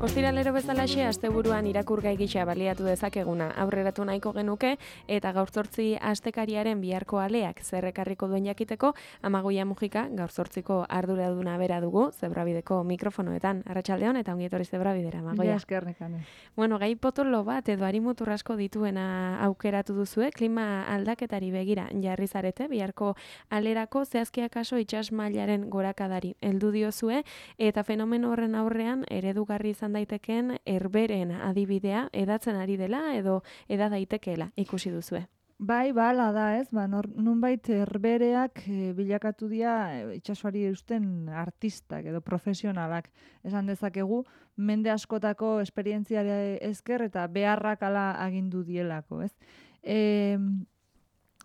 Ostiralero bezalaxe asteburuan irakurgai gisa baliatu dezakeguna aurreratu nahiko genuke eta gaur 8 astekariaren biharko aleak zerrekarriko duen jakiteko Amagoia Mujika gaur 8ko arduraduna bera dugu Zebrabideko mikrofonoetan. Arratsaldeon eta ongi etorri Zebrabidera, Amagoia. Eskerrekane. Bueno, gai potolo bat edo arimutur asko dituena aukeratu duzue, klima aldaketari begira jarri zarete biharko alerako zehazkia kaso itsas mailaren gorakadari heldu diozue eta fenomeno horren aurrean eredugarri izan daiteken herberen adibidea edatzen ari dela edo eda daitekeela ikusi duzue. Bai, bala da, ez? Nunbait herbereak bilakatu dira itsasoari eusten artistak edo profesionalak. Esan dezakegu, mende askotako esperientziari esker eta beharrak ala agindu dielako, ez?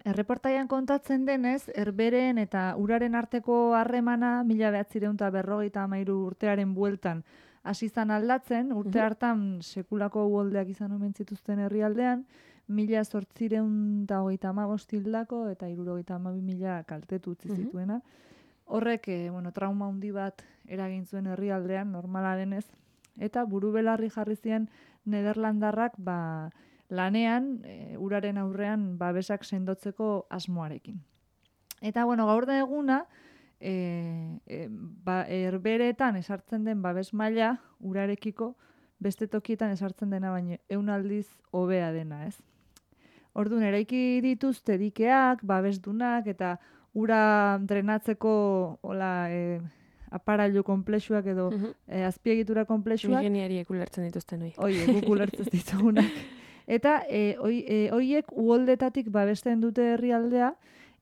Erreportaian kontatzen denez, herberen eta uraren arteko harremana 1953 urtearen bueltan hasi izan aldatzen, urte hartan sekulako uholdeak izan omen zituzten herrialdean, 1835 hildako eta 72.000 kaltetu utzi zituena. Horrek, trauma handi bat eragin zuen herrialdean, normala denez, eta buru-belarri jarri zien Nederlandarrak lanean, uraren aurrean babesak sendotzeko asmoarekin. Eta, gaur da eguna, herberetan esartzen den babes maila urarekiko beste tokietan esartzen dena baino 100 aldiz hobea dena, ez? Orduan, eraiki dituzte dikeak, babesdunak eta ura drenatzeko aparailu komplexuak edo azpiegitura komplexuak. Ingeniariek ulertzen dituzten hoi. Oie, guk ulertzen ditugunak. Eta hoiek uholdetatik babesten dute herrialdea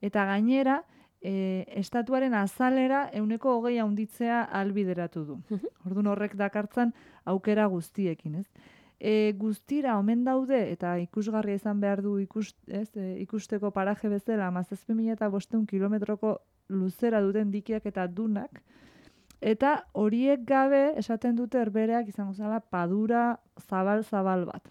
eta gainera estatuaren azalera 120 handitzea ahalbideratu du. Orduan horrek dakartzan aukera guztiekin, ez? Guztira omen daude eta ikusgarria izan behar du ikusteko paraje bezala 17.500 kilometroko luzera duten dikiak eta dunak. Eta horiek gabe esaten dute herbereak izango zala padura zabal bat.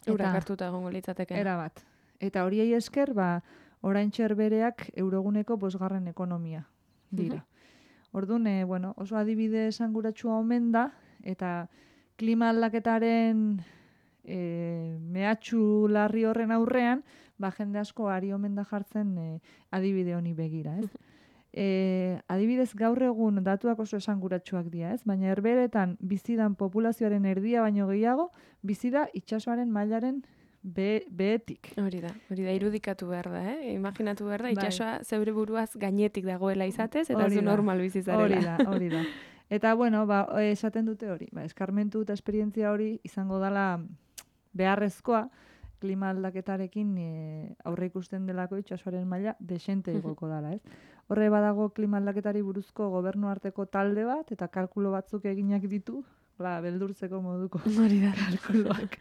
Urak hartuta egongo litzateke. Erabat. Eta horiei esker, oraintxe herbereak euroguneko 5. ekonomia dira. Orduan, oso adibide esanguratsua omen da, eta klima aldaketaren mehatxu larri horren aurrean, jende asko ari omen da jartzen adibide honi begira, ez? Adibidez gaur egun datuak oso esanguratsuak dira, ez? Baina herberetan bizidan populazioaren erdia baino gehiago, bizida itsasoaren mailaren behetik. Hori da, irudikatu behar da, imaginatu behar da, itsasoa zeure buruaz gainetik dagoela izatez, eta zu normal bizizarela. Hori da. Eta, esaten dute hori, eskarmentu eta esperientzia hori izango dela beharrezkoa, klima aldaketarekin aurre ikusten delako itsasoaren maila desente igoko dela, ez? Horre badago klima aldaketari buruzko gobernu arteko talde bat, eta kalkulo batzuk eginak ditu, beldurtzeko moduko kalkuloak.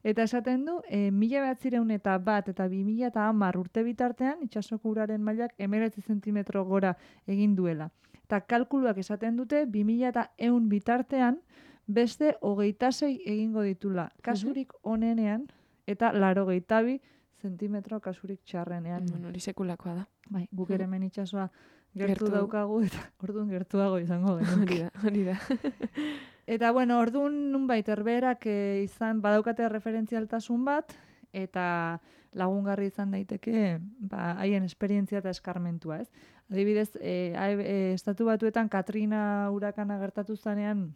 Eta esaten du, 1901 eta 2010 urte bitartean, itsasoko uraren mailak 19 zentimetro gora egin duela. Eta kalkuluak esaten dute, 2100 bitartean, beste 26 egingo ditula. Kasurik onenean, eta 82 zentimetro kasurik txarrenean. Hori sekulakoa da. Bai, guk ere hemen itsasoa gertu daukagu, eta orduan gertuago izango genuke. Hori da. Eta, orduan nunbait herberak izan badaukate referentzialtasun bat, eta lagungarri izan daiteke haien esperientzia eta eskarmentua, ez? Adibidez, Estatu Batuetan Katrina urakana gertatu zanean,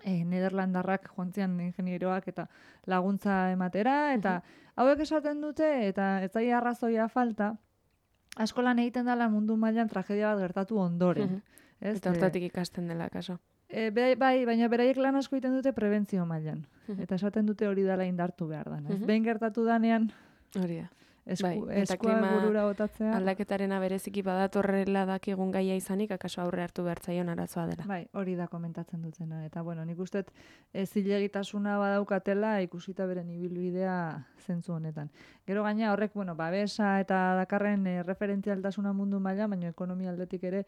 Nederlandarrak joantzian ingenieroak eta laguntza ematera, eta hauek esaten dute, eta ez zaila arrazoia falta, asko lan egiten dela mundu mailan tragedia bat gertatu ondoren. Eta hortatik ikasten dela, kaso. Bai, baina beraiek lan asko egiten dute prebentzio mailan. Eta esaten dute hori dela indartu behar da. Behin gertatu danean, hori da. eskua burura botatzea. Aldaketarena bereziki badatorrela dakigun gaia izanik, akaso aurre hartu behar zaion arazoa dela. Bai, hori da komentatzen dutena. Eta, nik uste zilegitasuna badaukatela ikusita beren ibilbidea zentzu honetan. Gero gaina horrek, babesa eta dakarren referentzialtasuna mundu maila, baina ekonomia aldetik ere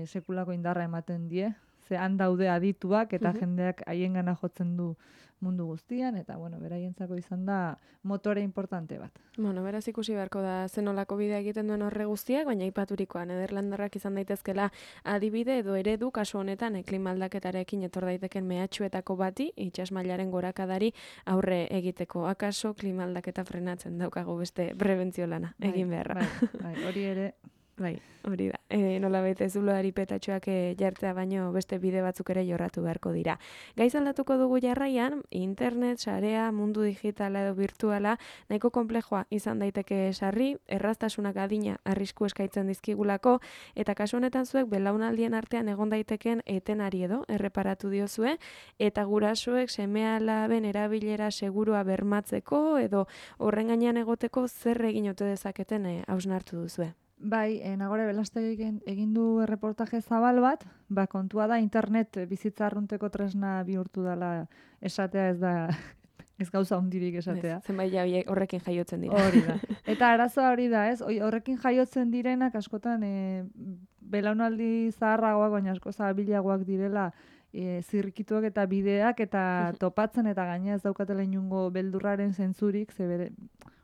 sekulako indarra ematen die, ze han daude adituak eta jendeak haiengana jotzen du mundu guztian, eta, bueno, beraientzako izan da motore importante bat. Bueno, beraz ikusi beharko da zenolako bidea egiten duen horre guztiak, baina aipaturikoa Nederlandarrak izan daitezkela adibide edo eredu kasu honetan klima aldaketarekin etor daiteken mehatxuetako bati itsas mailaren gorakadari aurre egiteko. Akaso klima aldaketa frenatzen daukagu beste prebentzio lana egin beharra. Bai, hori ere. Bai, hori da. Nolabait ez zuloari petatxoak jartzea baino beste bide batzuk ere jorratu beharko dira. Gaiz aldatuko dugu jarraian, internet, sarea, mundu digitala edo virtuala, nahiko konplexua izan daiteke sarri, erraztasunak adina arrisku eskaintzen dizkigulako, eta kasu honetan zuek belaunaldien artean egon daiteken etenari edo erreparatu diozue, eta gurasoek seme-alaben erabilera segurua bermatzeko edo horren gainean egoteko zer egin ote dezaketen hausnartu duzue. Bai, Nagore Belastegik egin du erreportaje zabal bat, kontua da internet bizitza arrunteko tresna bihurtu dela esatea, ez gauza hondirik esatea. Zenbait horrekin jaiotzen dira. Hori da. Eta arazoa hori da, ez? Horrekin jaiotzen direnak askotan belaunaldi zaharragoak, baina asko zabilagoak direla zirrikituak eta bideak eta topatzen eta gaina ez daukatela inungo beldurraren zentzurik, ze bere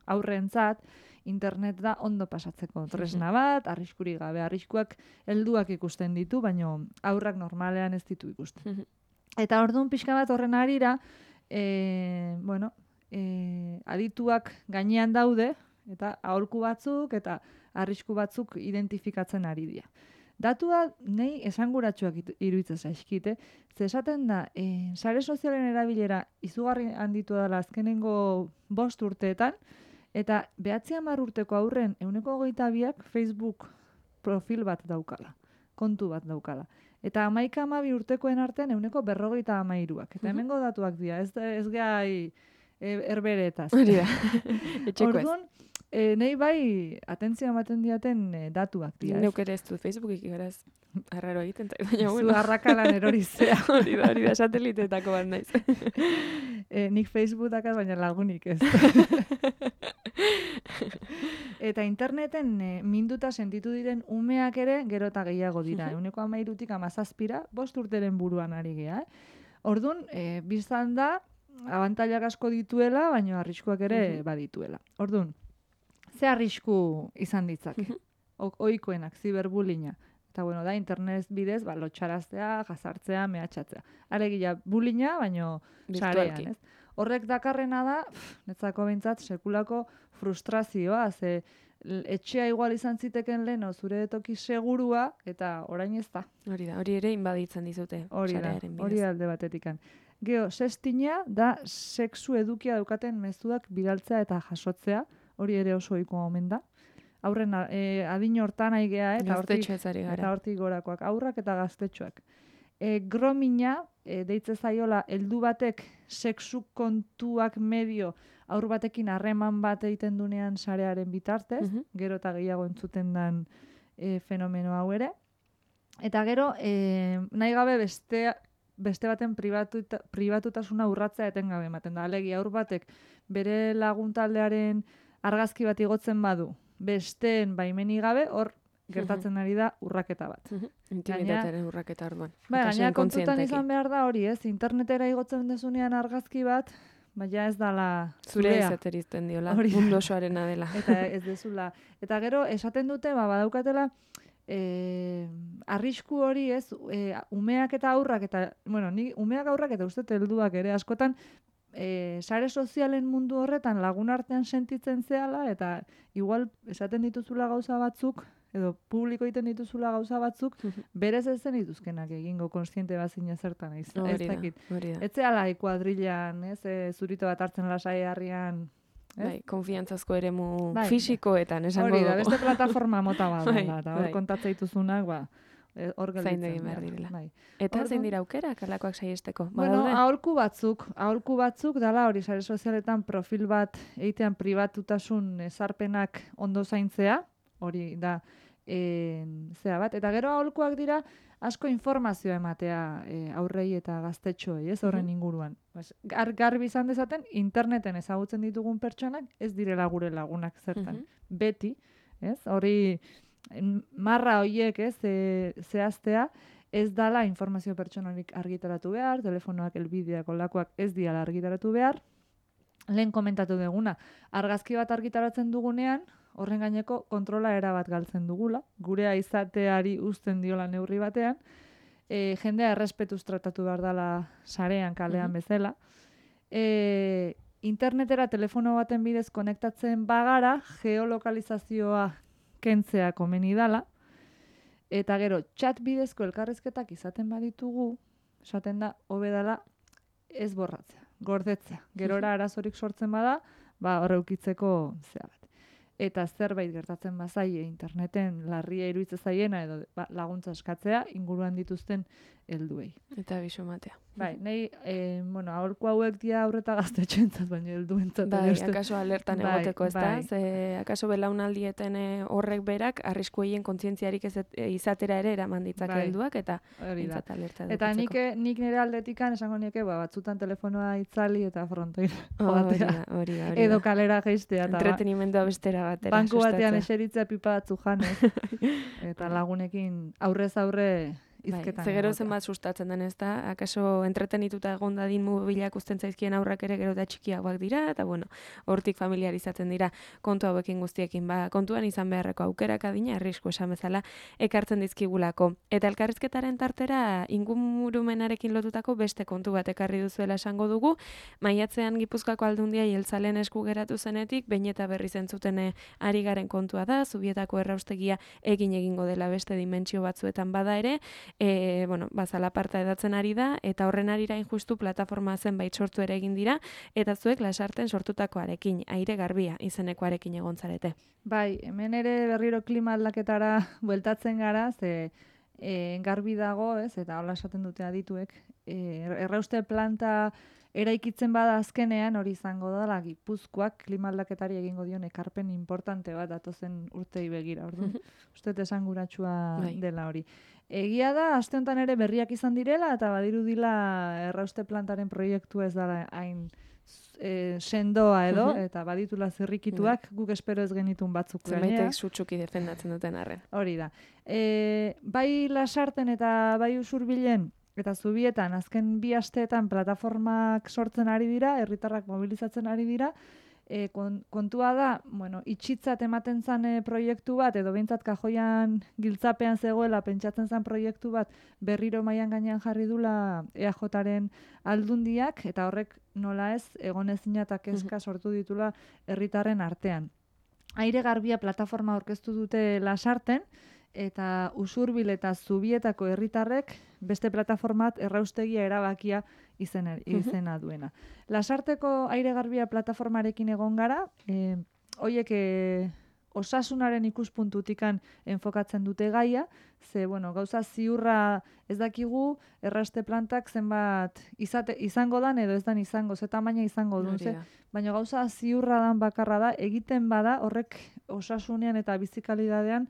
aurrentzat, internet da ondo pasatzeko tresna bat, arriskurik gabe, arriskuak helduak ikusten ditu, baina aurrak normalean ez ditu ikusten. Eta orduan pixka bat horren arira, adituak gainean daude, eta aholku batzuk eta arrisku batzuk identifikatzen ari dira. Datua nahi esanguratsuak iruditzen zaizkite, ze esaten da, sare sozialen erabilera izugarri handitu dela azkenengo 5 urteetan, eta 9 urteko aurren 22% Facebook profil bat daukala, kontu bat daukala. Eta 11-12 urtekoen artean 53%. Eta hemengo datuak dira, ez gai erberetaz. Hori da, etxeko ez. Orduan, nahi bai atentzioa ematen diaten datuak dira. Neuk ere ez du Facebookik beraz arraro egiten, baina zu arrakalan erorizea. Hori da, sateliteetako bat naiz. Nik Facebook dakaz, baina lagunik ez. Eta interneten minduta sentitu diren umeak ere gero eta gehiago dira. 13-tik 17, 5 urteren buruan ari gea. Orduan, biztan da, abantailak asko dituela, baina arriskuak ere badituela. Orduan, ze arrisku izan ditzake? Ohikoenak, ziberbullyinga. Eta bueno, da internet bidez, lotxaraztea, jazartzea, mehatxatzea. Alegia, bullyinga, baino sarean, ez? Horrek dakarrena da, netzako behintzat, sekulako frustrazioa, ze etxea igual izan ziteken lehen, zure toki segurua, eta orain ez da. Hori da, hori ere inbaditzen dizute. Hori da, hori alde batetikan. Geo, sextinga da sexu edukia daukaten mezuak bidaltzea eta jasotzea, hori ere oso ohikoa omen da. Aurren adin hortan aigea, eta hortik gorakoak, aurrak eta gaztetxoak. Gromina, deitze zaiola, heldu batek sexu kontuak medio aur batekin harreman bat egiten dunean sarearen bitartez, gero eta gehiago entzuten den fenomeno hau ere. Eta gero, nahi gabe beste baten pribatutasuna urratzea etengabe ematen da. Alegia, aur batek bere laguntaldearen argazki bat igotzen badu, besteen baimeni gabe, hor gertatzen ari da urraketa bat. Intimitatearen urraketa orduan. Gaina kontutan izan behar da hori, ez? Internetera igotzen dezunean argazki bat, baina ez dala zure izaterizten diola, mundu osoarena dela. Eta ez dezula. Eta gero, esaten dute, badaukatela, arrisku hori, ez? Umeak eta aurrak, eta, bueno, umeak aurrak eta uste helduak ere askotan, sare sozialen mundu horretan lagun artean sentitzen zehala, eta igual esaten dituzula gauza batzuk, edo publiko egiten dituzula gauza batzuk, berez ez zen dituzkenak egingo konstiente bazina zertan. Ez dakit. Ez zehala kuadrilan, zurito bat hartzen lasai harrian. Bai, konfiantzazko eremu fisikoetan, esango dugu. Hori da, beste plataforma mota bat dela, eta hor kontatzea dituzunak, hor gelditzen. Zain egin behar direla. Eta zein dira aukerak alakoak saiesteko? Bueno, aholku batzuk dala hori sare sozialetan profil bat egitean pribatutasun ezarpenak ondo zaintzea, hori da zea bat. Eta gero aholkuak dira asko informazioa ematea aurrei eta gaztetxoei, ez horren inguruan. Garbi izan dezaten, interneten ezagutzen ditugun pertsonak ez direla gure lagunak zertan. Beti, ez? Hori marra horiek, ez, zehaztea, ez dala informazio pertsonalik argitaratu behar, telefonoak, elbideak, olakoak ez diala argitaratu behar. Lehen komentatu duguna, argazki bat argitaratzen dugunean, horren gaineko kontrola erabat galtzen dugula, gurea izateari uzten diola neurri batean, jendea errespetuz tratatu behar dela sarean, kalean bezala. Internetera telefono baten bidez konektatzen bagara, geolokalizazioa kentzea komeni dala, eta gero, chat bidezko elkarrizketak izaten baditugu, esaten da, hobe dela ez borratzea, gordetzea. Gerora arazorik sortzen bada, horre ukitzeko zea bat. Eta zerbait gertatzen bazaie interneten larria iruditzen zaiena edo laguntza eskatzea inguruan dituzten helduei. Eta bisu matea. Bai, nahi, aholku hauek dia aurreta gaztetxoentzat, baina helduentzat. Bai, akaso alertan egoteko, ez da? Ze, akaso belaunaldieten horrek berak, arriskueien kontzientziarik izatera ere eraman ditzake helduak, eta bintzat alerta edukitzeko. Eta nik nire aldetikan esango nieke, batzutan telefonoa itzali eta frontoira joatea. Hori da. Edo kalera geistea. Entretenimendua bestera batera. Banku batean eseritzea pipa batzu janez. Eta lagunekin aurrez aurre izketan. Ze gero zenbat sustatzen den, ez da? Akaso entretenituta egon dadin mobilak uzten zaizkien aurrak ere gero da txikiagoak dira, eta hortik familiarizatzen dira kontu hauekin guztiekin. Kontuan izan beharreko aukerak adina, arrisku esan bezala, ekartzen dizkigulako. Eta elkarrizketaren tartera ingurumenarekin lotutako beste kontu bat ekarri duzuela esango dugu. Maiatzean Gipuzkoako Aldundia jeltzaleen esku geratu zenetik, behin eta berri zentzuten ari garen kontua da, Zubietako erraustegia egingo dela beste dimentsio batzuetan bada ere, zalaparta edatzen ari da, eta horren arira injustu plataforma zenbait sortu ere egin dira, eta zuek Lasarten sortutakoarekin, aire garbia izenekoarekin egon zarete. Bai, hemen ere berriro klima aldaketara bueltatzen gara, ze garbi dago, ez, eta hola esaten dute adituek, errauste planta eraikitzen bada azkenean hori izango dela Gipuzkoak klima aldaketari egingo dion ekarpen importante bat datozen urtei begira, orduan. Uste esanguratsua dela hori. Egia da, aste honetan ere berriak izan direla, eta badirudila errauste plantaren proiektua ez dara hain sendoa edo, eta baditula zirrikituak, guk espero ez genitun batzuk. Zenbaitek sutsuki defendatzen duten arren. Hori da. Bai Lasarten eta bai Usurbilen, eta Zubietan, azken 2 asteetan plataformak sortzen ari dira, herritarrak mobilizatzen ari dira, kontua da, itxitzat ematen zan proiektu bat, edo behintzat kajoian giltzapean zegoela pentsatzen zan proiektu bat berriro mailan gainean jarri dula EAJaren Aldundiak, eta horrek nola ez, egonezina eta kezka sortu ditula herritarren artean. Aire garbia plataforma aurkeztu dute Lasarten, eta Usurbil eta Zubietako herritarrek beste plataformat erraustegia erabakia izena duena. Lasarteko aire garbia plataformarekin egon gara, hoiek osasunaren ikuspuntutikan enfokatzen dute gaia, ze gauza ziurra ez dakigu errauste plantak zenbat izango dan edo ez dan izango, ze tamaina izango duen, baina gauza ziurra dan bakarra da, egiten bada horrek osasunean eta bizikalidadean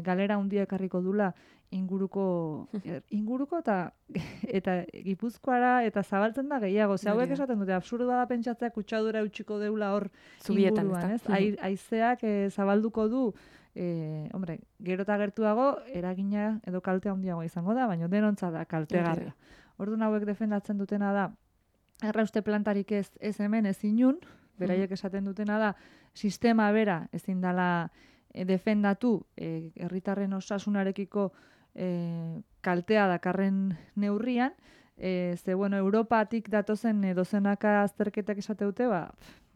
galera handia ekarriko dula inguruko eta Gipuzkoara eta zabaltzen da gehiago. Ze hauek esaten dute, absurda da pentsatzea kutsadura eutxiko deula hor inguruan, ez? Haizeak zabalduko du, gero eta gertuago eragina edo kalte handiagoa izango da, baina denontza da kaltegarria. Orduan hauek defendatzen dutena da, errauste plantarik ez hemen ez inun, beraiek esaten dutena da, sistema bera ezin dela defendatu herritarren osasunarekiko kaltea dakarren neurrian, ze Europatik datozen dozenaka azterketak esateute,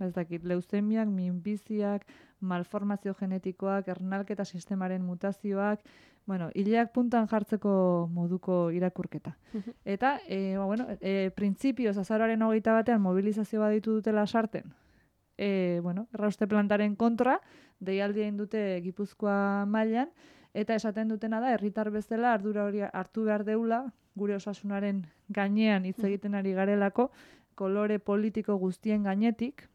ez dakit, leuzemiak, minbiziak, malformazio genetikoak, ernalketa sistemaren mutazioak, hileak puntan jartzeko moduko irakurketa. Eta, printzipioz azaroaren 21 mobilizazio baditu dutela Lasarten, errauste plantaren kontra, deialdia egin dute Gipuzkoa mailan, eta esaten dutena da, herritar bezala ardura hori hartu behar deula, gure osasunaren gainean hitz egiten ari garelako, kolore politiko guztien gainetik,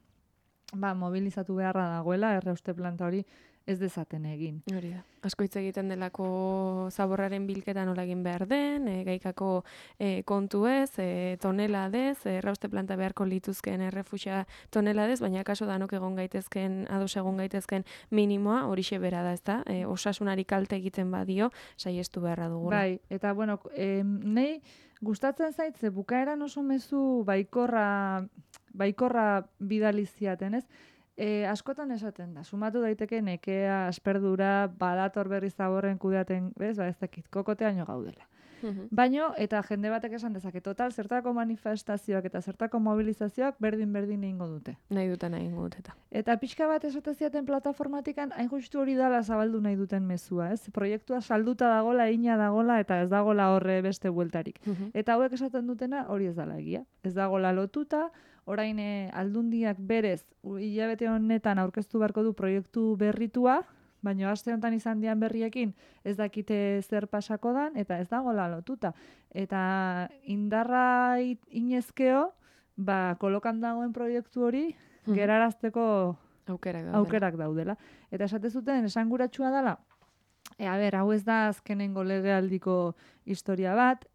mobilizatu beharra dagoela, errauste planta hori ez dezaten egin. Hori da. Asko hitz egiten delako zaborraren bilketa nola egin behar den, gaikako kontuez, toneladez, errauste planta beharko lituzken errefuxa toneladez, baina kaso danok egon gaitezken, ados egon gaitezken minimoa, horixe bera da, ezta? Osasunari kalte egiten badio, saiestu beharra dugula. Bai, eta bueno, nei gustatzen zait, ze bukaeran oso mezu baikorra bidaliziaten, ez? Askotan esaten da, sumatu daiteke nekea, asperdura, badator berriz zaborren kudeaten, bez, ez dakit, kokoteaino gaudela. Baino, eta jende batek esan dezake, total, zertako manifestazioak eta zertako mobilizazioak berdin egingo dute. Nahi egingo dute. Eta pixka bat esateziaten plataformatikan, hain justu hori dala zabaldu nahi duten mezua, ez? Proiektua salduta dagola, ina dagola, eta ez dagola horre beste bueltarik. Eta hauek esaten dutena hori ez dala egia. Ez dagola lotuta, orain aldundiak berez, hilabete honetan aurkeztu beharko du proiektu berritua, baina aste honetan izan dian berriekin ez dakite zer pasako dan, eta ez dagoela lotuta. Eta indarra inezkeo, kolokan dagoen proiektu hori, gerarazteko aukerak daudela. Eta esatezuten, esanguratsua dela, hau ez da azkenengo legealdiko historia bat,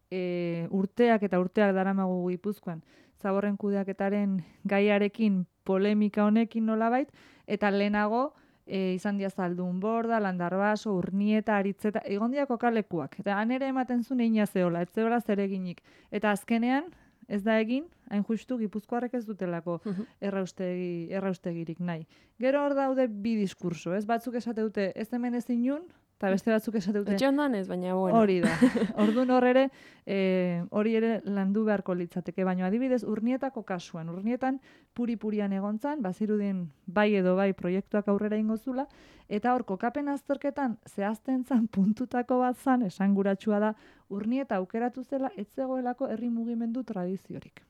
urteak eta urteak daramagu Gipuzkoan, zaborren kudeaketaren gaiarekin polemika honekin nolabait, eta lehenago izan dia Zaldun Borda, Landarbaso, Urnieta, Aritzeta, egon dia kokalekuak. Eta han ere ematen zuen egina zehola, ez zehola zereginik. Eta azkenean, ez da egin, hain justu Gipuzkoarrek ez dutelako erraustegirik nahi. Gero hor daude bi diskurso, ez? Batzuk esate dute ez hemen ezin nun, eta beste batzuk esate dute. Etxe ondan ez, baina bueno. Hori da. Orduan hor ere, hori ere landu beharko litzateke. Baina adibidez, Urnietako kasuan. Urnietan puri-purian egontzan, bazirudien bai edo bai proiektuak aurrera ingo zula, eta hor kokapen azterketan zehazten zan puntutako bat zan, esanguratsua da, Urnieta aukeratu zela, ez zegoelako herri mugimendu tradiziorik.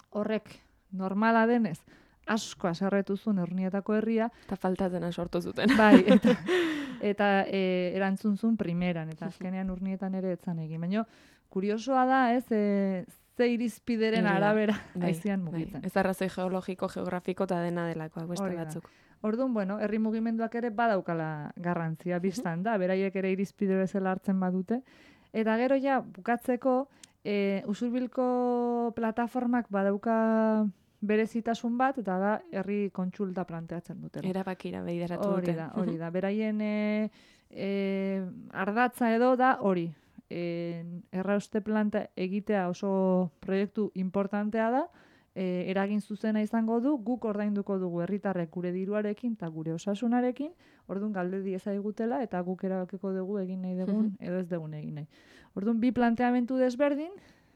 Horrek, normala denez, asko aserretu zuen Urnietako herria. Eta faltatena sortu zuten. Bai, eta erantzun zuen primeran, eta azkenean Urnietan ere etzan egin. Baina, kuriosoa da, ze irizpideren arabera aizian mugitzen. Ez arrazoi geologiko, geografiko eta dena delako, beste batzuk. Orduan, herri mugimenduak ere badaukala garrantzia biztan da, beraiek ere irizpide bezala hartzen badute. Eta gero ja, bukatzeko, Usurbilko plataformak badauka berezitasun bat, eta da herri kontsulta planteatzen dutela. Erabakira bideratu dute. Hori da. Beraien ardatza edo da hori. Errauste planta egitea oso proiektu importantea da, eragin zuzena izango du, guk ordainduko dugu herritarrek gure diruarekin eta gure osasunarekin, orduan galde diezagutela eta guk erabakiko dugu egin nahi dugun edo ez dugun egin nahi. Orduan bi planteamendu desberdin,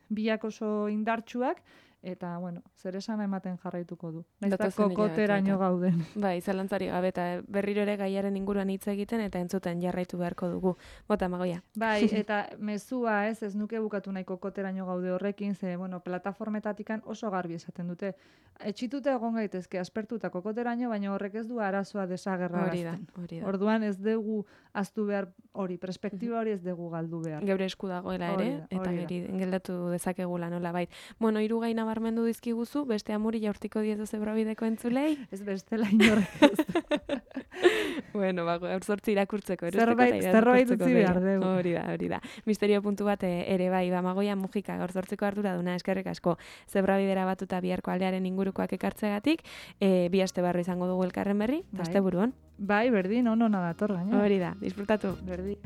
biak oso indartsuak, eta, zer esana ematen jarraituko du. Naizta kokoteraino gauden. Bai, zalantzari gabe, eta berriro ere gaiaren inguruan hitz egiten, eta entzuten jarraitu beharko dugu. Bota, Magoia. Bai, eta mezua ez nuke bukatu nahi kokoteraino gaude horrekin, ze, plataformetatikan oso garbi esaten dute. Etxitute egon gaitezke, aspertu eta kokoteraino, baina horrek ez du arazoa desagerra gazten. Hori da. Orduan ez dugu aztu behar hori, perspektiba hori ez dugu galdu behar. Geure esku dagoela ere, eta geldatu dezakegula nola bait. Hiru gai nabarmendu dizkiguzu, beste amuri jaurtiko diezu Zebrabideko entzulei? Ez bestela inorrek ez. Gaur zortzi irakurtzeko. Zerbait utzi behar dugu. Hori da. Misterio puntu bat ere bai, Magoia Mujika, gaur zortziko arduraduna, eskerrik asko Zebrabidera batuta biharko aldearen ingurukoak ekartzegatik, bi aste barru izango dugu elkarren berri, aste buruan. Bai, berdin, ona dator gaina. Hori da, disfrutatu. Berdin.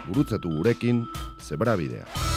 Gurutzatu gurekin Zebrabidea.